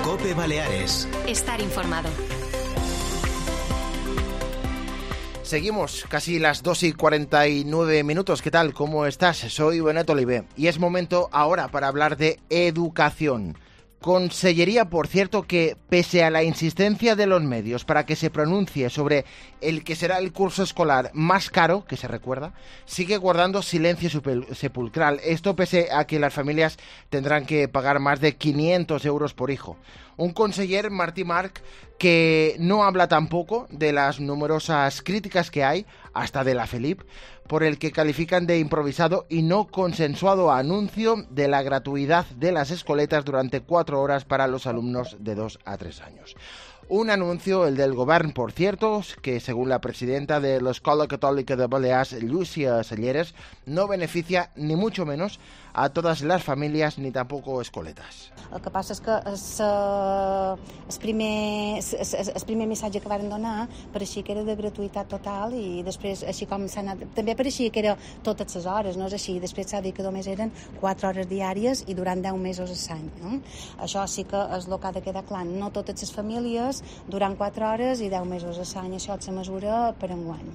COPE Baleares. Estar informado. Seguimos, casi las 2:49. ¿Qué tal? ¿Cómo estás? Soy Benet Olivé y es momento ahora para hablar de educación. Consellería, por cierto, que pese a la insistencia de los medios para que se pronuncie sobre el que será el curso escolar más caro, que se recuerda, sigue guardando silencio sepulcral. Esto pese a que las familias tendrán que pagar más de 500 euros por hijo. Un conseller, Martí March, que no habla tampoco de las numerosas críticas que hay, hasta de la FELIP, por el que califican de improvisado y no consensuado anuncio de la gratuidad de las escoletas durante 4 horas para los alumnos de 2 a 3 años. Un anuncio, el del Govern, por cierto, que según la presidenta de l'Escola Catòlica de Balears, Llúcia Selleres, no beneficia ni mucho menos a todas las familias ni tampoco escoletas. El que passa és que el primer missatge que varen donar pareixia que era de gratuïtat total i després, així com s'ha anat, també pareixia que era totes les hores, no és així. Després s'ha dit que només eren 4 hores diàries i durant 10 mesos a l'any. No? Això sí que és el que ha de quedar clar. No totes les famílies durant 4 hores i 10 mesos a l'any. Això és la mesura per enguany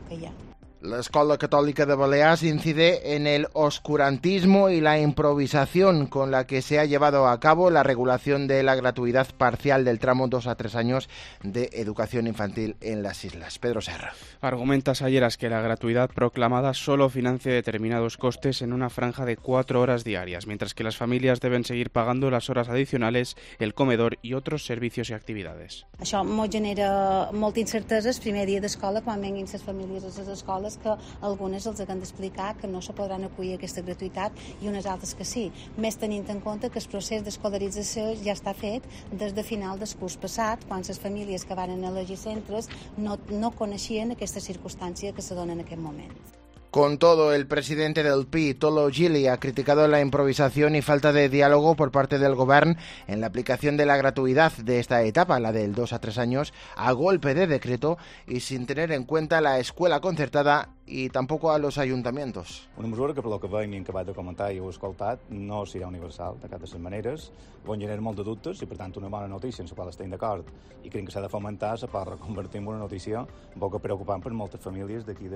que hi ha. La Escuela Católica de Baleares incide en el oscurantismo y la improvisación con la que se ha llevado a cabo la regulación de la gratuidad parcial del tramo 2 a 3 años de educación infantil en las islas. Pedro Serra. Argumenta Selleres que la gratuidad proclamada solo financia determinados costes en una franja de 4 horas diarias, mientras que las familias deben seguir pagando las horas adicionales, el comedor y otros servicios y actividades. Això ens genera molta incertesa el primer dia d'escola quan venguin les famílies a les escoles, que algunes els han d'explicar que no se podran acollir a aquesta gratuïtat i unes altres que sí, més tenint en compte que el procés d'escolarització ja està fet des de final del curs passat, quan les famílies que van elegir centres no coneixien aquesta circumstància que se dona en aquest moment. Con todo, el presidente del PI, Tolo Gili, ha criticado la improvisación y falta de diálogo por parte del Govern en la aplicación de la gratuidad de esta etapa, la del 2 a 3 años, a golpe de decreto y sin tener en cuenta la escuela concertada y tampoco a los ayuntamientos. Una mesura que, per lo que veiem i que vaig de comentar i heu escoltat, no serà universal de cap de les maneres, on genera molt de dubtes i, per tant, una bona notícia en la qual estem d'acord i crec que s'ha de fomentar, se pot reconvertir en una notícia un poc preocupant per moltes famílies d'aquí de